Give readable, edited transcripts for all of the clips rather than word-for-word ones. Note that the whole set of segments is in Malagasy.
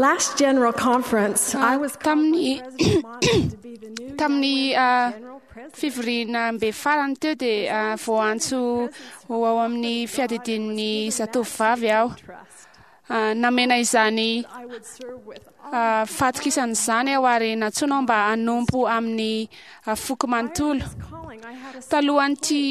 Last General Conference, I was called by Tamin'ny President Monson to be the new tamin'ny Delaware General President. fivoriana mbe farany teo dia voantso ho ao amin'ny fiadidian'ny zatovovavy aho. Trust. Namena izany I would serve with all fahatokisana izany aho ary nantsoina aho mba hanompo amin'ny foko manontolo. this calling. I had a Talohan'ity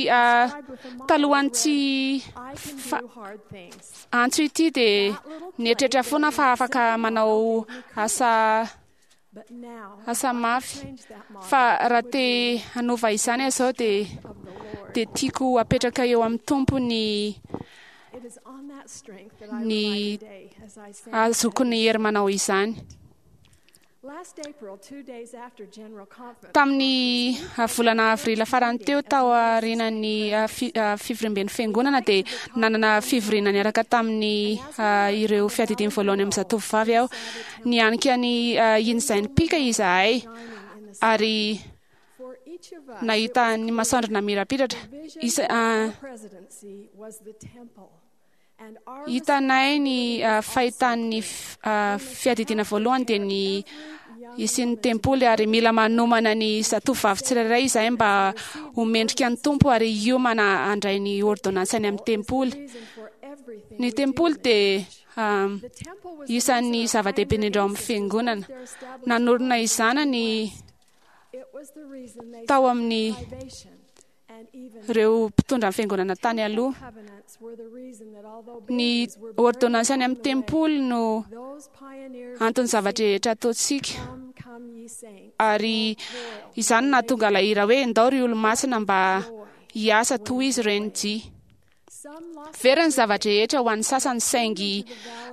talohan'ity I can fa- do hard things. antso ity dia nieritreritra foana fa afaka manao asa But now asa mafy. change that model Fa raha te hanova izany aho izao dia of the Lord. dia tiako apetraka eo amin'ny Tompo ny It is on that strength that I Ny rely today as I stand. ahazoako ny hery manao izany. Last April, 2 days after General Conference, Tamin'ny volana avril farany teo tao aorian'ny fivoriamben'ny fiangonana dia nanana fivoriana niaraka tamin'ny ireo fiadidiany voalohany amin'ny zatovovavy aho. Nianika ny iny izay nipika izahay ary for each of us, nahita ny masoandro namirapiratra. vision Isa, of our presidency was the temple, and our hitanay ny fahitan'ny fiadidiana voalohany dia ny isian'ny tempoly ary mila manomana ny zatovovavy tsirairay izahay mba ho mendrika ny Tompo ary hiomana handray ny ordonnance any amin'ny tempoly. reason for everything Ny we do tempoly in the dia church. ah, The temple was isan'ny the reason our zava-dehibe indrindra ao pioneer amin'ny fiangonana. ancestors built their established Nanorina izany ny It was the reason they tao suffered amin'ny privation and even ireo mpitondra ny fiangonana tany aloha. covenants were the reason that although Ny babies were buried ordonnance any along amin'ny the way, tempoly no those pioneers anton'ny zavatra rehetra ataontsika. come, come ye saints, Ary izany no nahatonga ilay hira hoe ndao ry olo-masina mba hiasa toy izy ireny dia. Some lost Very ny zava-drehetra ho an'ny sasany saingy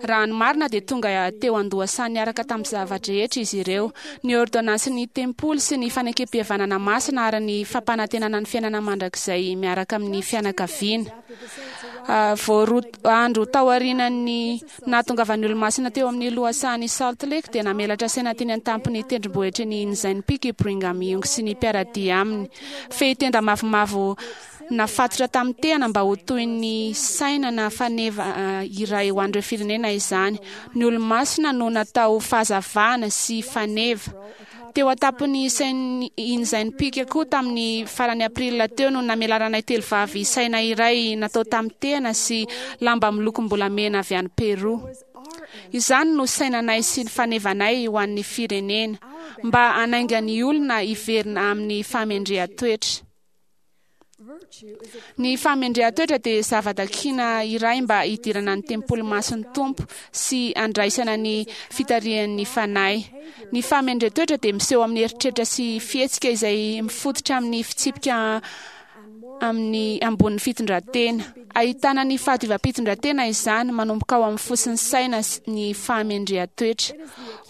raha ny marina dia tonga teo an-dohasany niaraka tamin'ny zava-drehetra izy ireo. Ny ordonnance ny tempoly sy ny fanekem-pihavanana masina ary ny fampanantenana ny fiainana mandrakizay miaraka amin'ny fianakaviana. after the saints arrived Vao roa andro taorian'ny nahatongavan'ny olo-masina teo amin'ny lohasahan'i Salt Lake dia namelatra saina teny an-tampon'ny tendrombohitry ny Inzain Peak i Brigham Young sy ny mpiara-dia aminy. Fehitenda mavomavo nafatotra tamin'ny tehana mba ho toy ny saina na faneva iray ho an'ireo firenena izany. Ny olo-masina no natao fahazavana sy faneva. Teo an-tampon'ny sain'ny Inzain Peak koa tamin'ny farany april teo no namelaranay telo vavy saina iray natao tamin'ny tehana sy lamba milokom-bolamena avy any Peru. was our Izany no sainanay sy ny fanevanay ho an'ny firenena mba hanainga ny olona hiverina amin'ny fahamendrehan-toetra. virtue is a Ny fahamendrehan-toetra dia zava-dakina iray mba hidirana ny tempoly masin'ny Tompo sy handraisana ny fitarihan'ny fanahy. Ny fahamendrehan-toetra dia miseho amin'ny eritreritra sy fihetsika izay mifototra amin'ny fitsipika amin'ny ambonin'ny fitondran-tena. Ahitana ny fahadiovam-pitondran-tena izany manomboka ao amin'ny fo sy ny saina sy ny fahamendrehan-toetra.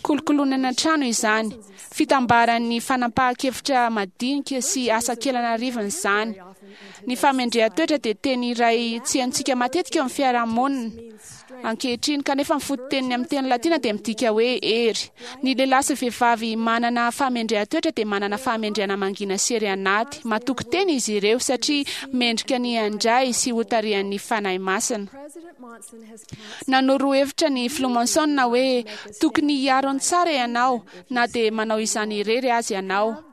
Kolokoloina any an-trano izany. Fitambaran'ny fanapahan-kevitra madinika sy asa kely an'arivony izany. Ny fahamendrehan-toetra dia teny iray tsy haintsika matetika eo amin'ny fiarahamonina ankehitriny kanefa ny fototeniny amin'ny teny latina dia midika hoe hery. Ny lehilahy sy vehivavy manana fahamendrehan-toetra dia manana fahamendrehana mangina sy hery anaty. Matoky tena izy ireo satria mendrika ny handray sy hotarihan'ny Fanahy Masina. President Monson has counseled Nanoro hevitra ny filoha Monson hoe tokony hiaro ny tsara ianao na dia manao izany irery azy ianao.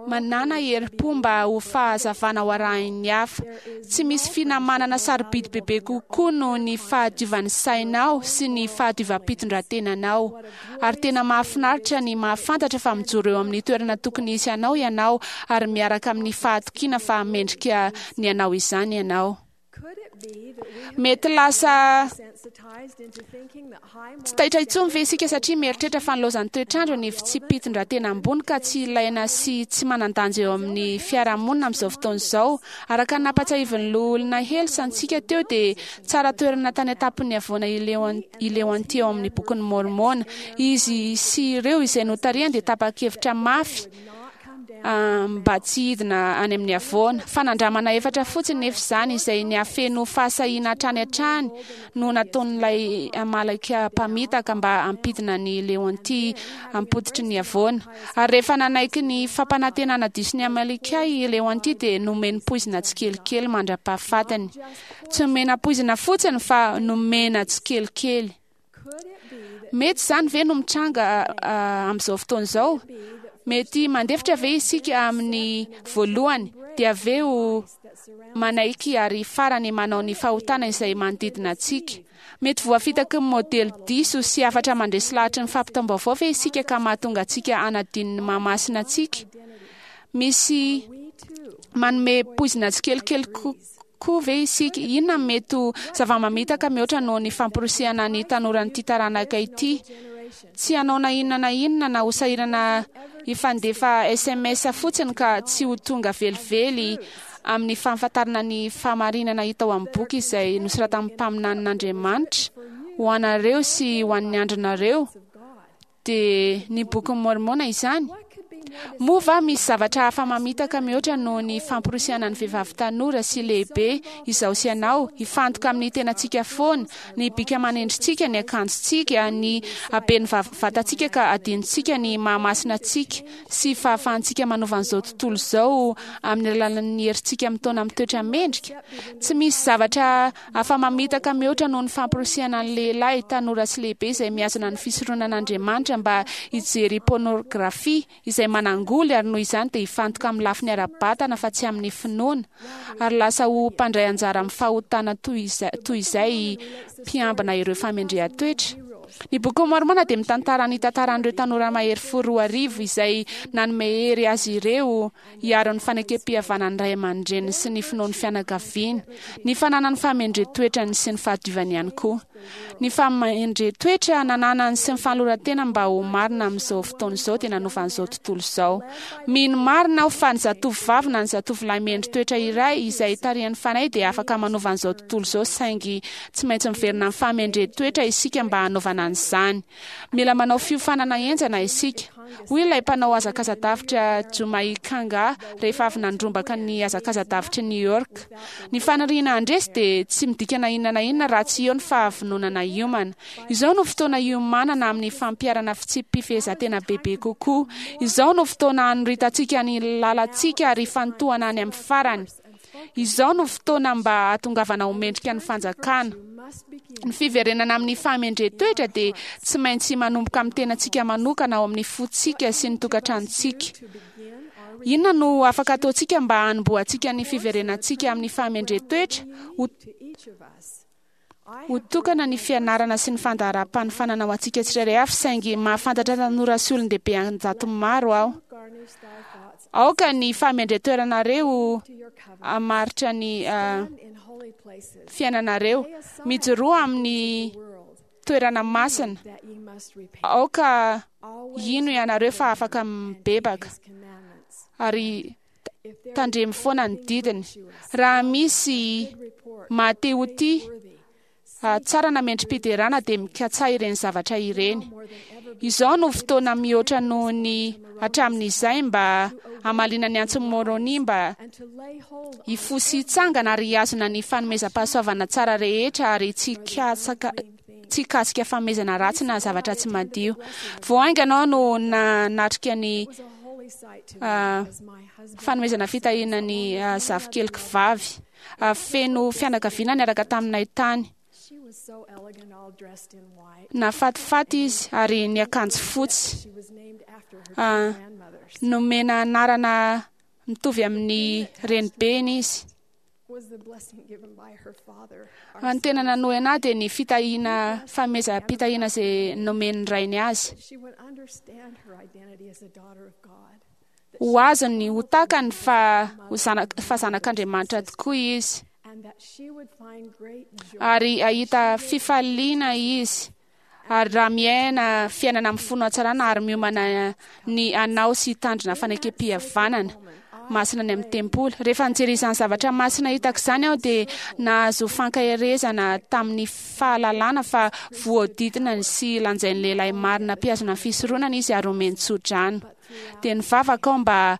Manana herim-po mba ho fahazavana ho arahin'ny hafa. Tsy misy finamanana sarobidy bebe kokoa noho ny fahadiovan'ny sainao sy ny fahadiovam-pitondran-tenanao. Ary tena mahafinaritra ny mahafantatra fa mijoro eo amin'ny toerana tokony hisy anao ianao ary miaraka amin'ny fahatokiana fa mendrika ny anao izany ianao. could it be that we have Mety lasa sensitized into thinking that high tsy taitra intsony ve isika satria mieritreritra fa nilaozan'ny toetrandro ny fitsipi-pitondran-tena ambony ka tsy ilaina sy tsy manan-danja eo amin'ny fiarahamonina amin'izao fotoana izao. Araka ny nampatsiahivin'ny loholona Hels antsika teo dia tsara toerana tany an-tampon'ny havoana i Leonty ao amin'ny bokin'ny Môrmôna. Izy sy ireo izay notarihany dia tapa-kevitra mafy not come down mba tsy hidina any amin'ny havoana. Fanandramana efatra fotsiny nefa izany izay niafeno fahasahiana hatrany hatrany no nataon'ilay Amaleka mpamitaka mba hampidina ny Leonty ampototry ny havoana. Ary rehefa nanaiky ny fampanantenana diso ny Amaleka i Leonty dia nomeny poizina tsikelikely mandra-pahafatiny. Tsy nomena poizina fotsiny fa nomena tsikelikely. Mety izany ve no mitranga amin'izao fotoana izao? Mety mandefitra ve isika amin'ny voalohany, dia avy eo manaiky ary farany manao ny fahotana izay manodidina antsika? Mety voafitaky ny modely diso sy hafatra mandresy lahatry ny fampitam-baovao ve isika ka mahatonga antsika hanadino ny maha-masina antsika? Misy manome poizina tsikelikely koa ve isika? Inona no mety ho zava-mamitaka mihoatra noho ny famporisihana ny tanoran'ity taranaka ity tsy hanao na inona na inona na ho sahirana hifandefa sms fotsiny ka tsy ho tonga velively amin'ny fahafantarana ny fahamarinana hita ao amin'ny boky izay nosoratan'ny mpaminanin'Andriamanitra ho anareo sy ho an'ny andronareo? Dia ny Bokin'i Môrmôna izany? Moa va misy zavatra hafa mamitaka mihoatra noho ny famporisihana ny vehivavy tanora sy lehibe, izaho sy ianao, hifantoka amin'ny tenantsika foana, ny bika aman'endritsika, ny akanjontsika, ny haben'ny vatantsika ka adinontsika ny maha-masina antsika sy fahafahantsika manova an'izao tontolo izao amin'ny alalan'ny herintsika mitaona amin'ny toetra mendrika? Tsy misy zavatra Afa-mamitaka mihoatra noho ny famporisihana ny lehilahy, tanora sy lehibe izay mihazona ny fisoronan'Andriamanitra mba hijery pôrnôgrafia izay manangoly ary noho izany dia hifantoka amin'ny lafiny ara-batana fa tsy amin'ny finoana ary lasa ho mpandray anjara amin'ny fahotana toy izay mpiambina ireo famendrehan-toetra. Ny Bokin'i Môrmôna dia mitantara ny tantaran'ireo tanora mahery fo 2000 izay nanome hery azy ireo hiaro ny fanekem-pihavanan'ny ray aman-dreniny sy ny finoan'ny fianakaviany, ny fananany fahamendren-toetrany sy ny fahadiovany ihany koa. Ny fahamendren-toetra nananany sy ny fanoloran-tena mba ho marina amin'izao fotoana izao dia nanova an'izao tontolo izao. Mino marina aho fa ny zatovovavy na ny zatovolahy mendri-toetra iray izay tarihan'ny Fanahy dia afaka manova an'izao tontolo izao saingy tsy maintsy miverina amin'ny fahamendren-toetra isika mba hanaovana an'izany. Mila manao fiofanana henjana isika, hoy ilay mpanao hazakaza-davitra Jumai Kanga rehefa avy nandrombaka ny hazakaza-davitr'i New York. Ny faniriana handresy dia tsy midika na inona na inona raha tsy eo ny fahavononana hiomana. Izao no fotoana hiomanana amin'ny fampiharana fitsipi-pifehezantena bebe kokoa. Izao no fotoana hanoritantsika ny lalantsika ary hifantohana any amin'ny farany. Izao no fotoana mba hahatongavana ho mendrika ny fanjakana. Ny fiverenana amin'ny fahamendrehan-toetra dia tsy maintsy manomboka amin'ny tenantsika manokana ao amin'ny fontsika sy ny tokantranontsika. Inona no afaka ataontsika mba hanombohantsika ny fiverenantsika amin'ny fahamendrehan-toetra? Ho Ho tokana ny fianarana sy ny fandaharam-panofanana ho antsika tsirairay avy, saingy mahafantatra tanora sy olon-dehibe an-jatony maro aho. Aoka ny fahamendren-toeranareo hamaritra ny fiainanareo. Mijoroa amin'ny toerana masina. Aoka hino ianareo fa afaka mibebaka. Ary tandremo foana ny didiny. Raha misy maha-te ho tia, tsara na mendri-piderana dia mikatsaha ireny zavatra ireny. Izao no fotoana mihoatra noho ny hatramin'izay mba hamaliana ny antson'i Môrônia mba hifoha sy hitsangana ary hihazona ny fanomezam-pahasoavana tsara rehetra ary tsy hikatsaka tsy hikasika fanomezana ratsy na zavatra tsy madio. Vao haingana aho no nanatrika ny fanomezana fitahiana ny zafikeliko vavy. Feno fianakaviana niaraka taminay tany. Nafatifaty izy ary niakanjo fotsy. Nomena anarana mitovy amin'ny renibeny izy. Ny tena nanohina ahy dia ny fitahiana fanomezam-pitahiana izay nomen'ny rainy azy. Ho azony, ho takany fa ho zanak, fa zanak'Andriamanitra tokoa izy. Ary hahita fifaliana izy. Ary raha miaina fiainana mifono hatsarana ary miomana ny hanao sy hitandrina fanekempihavanana masina any amin'ny tempoly. Rehefa nijery izany zavatra masina hitako izany aho dia nahazo fankaherezana tamin'ny fahalalana fa voahodidina ny sy lanjain'ny lehilahy marina mpihazona ny fisoronana izy ary omeny tsodrano. Dia nivavaka aho mba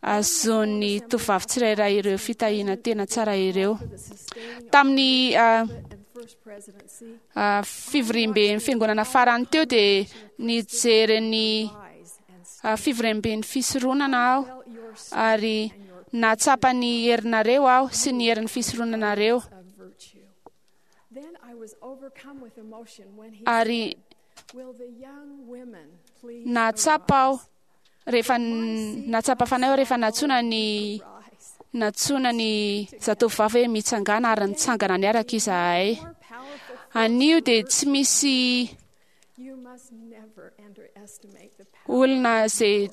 hahazoan'ny tovovavy tsirairay ireo fitahiana tena tsara ireo. Tamin'ny fivoriamben'ny fiangonana farany teo dia nijery ny fivoriamben'ny fisoronana aho ary nahatsapa ny herinareo aho sy ny herin'ny fisoronanareo. Ary nahatsapa aho rehefa nahatsapa fanahy aho rehefa nantsoina ny nantsoina ny zatovovavy hoe mitsangana ary nitsangana niaraka izahay. Anio dia tsy misy olona izay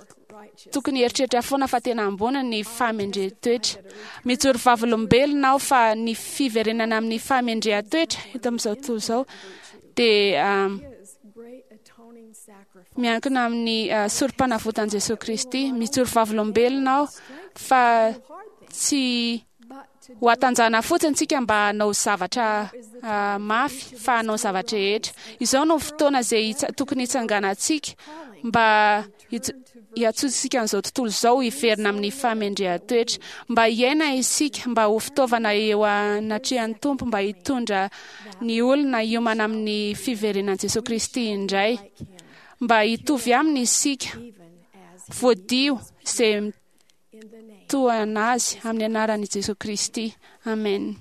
tokony hieritreritra foana fa tena ambony ny fahamendrehan-toetra. Mijoro vavolombelona aho fa ny fiverenana amin'ny fahamendrehan-toetra eto amin'izao tontolo izao dia miankina amin'ny sorom-panavotan'i Jesosy Kristy. Mijoro vavolombelona aho fa tsy ho hatanjahana fotsiny isika mba hanao zavatra mafy fa hanao zavatra rehetra. Izao no fotoana izay tokony hitsanganantsika mba hiantsoantsika an'izao tontolo izao hiverina amin'ny fahamendrehan-toetra, mba hiaina isika, mba ho fitaovana eo anatrehan'ny Tompo, mba hitondra ny olona hiomana amin'ny fiverenan'i Jesosy Kristy indray, mba hitovy aminy isika, voadio izay tohana azy amin'ny anaran'i Jesosy Kristy. Amen.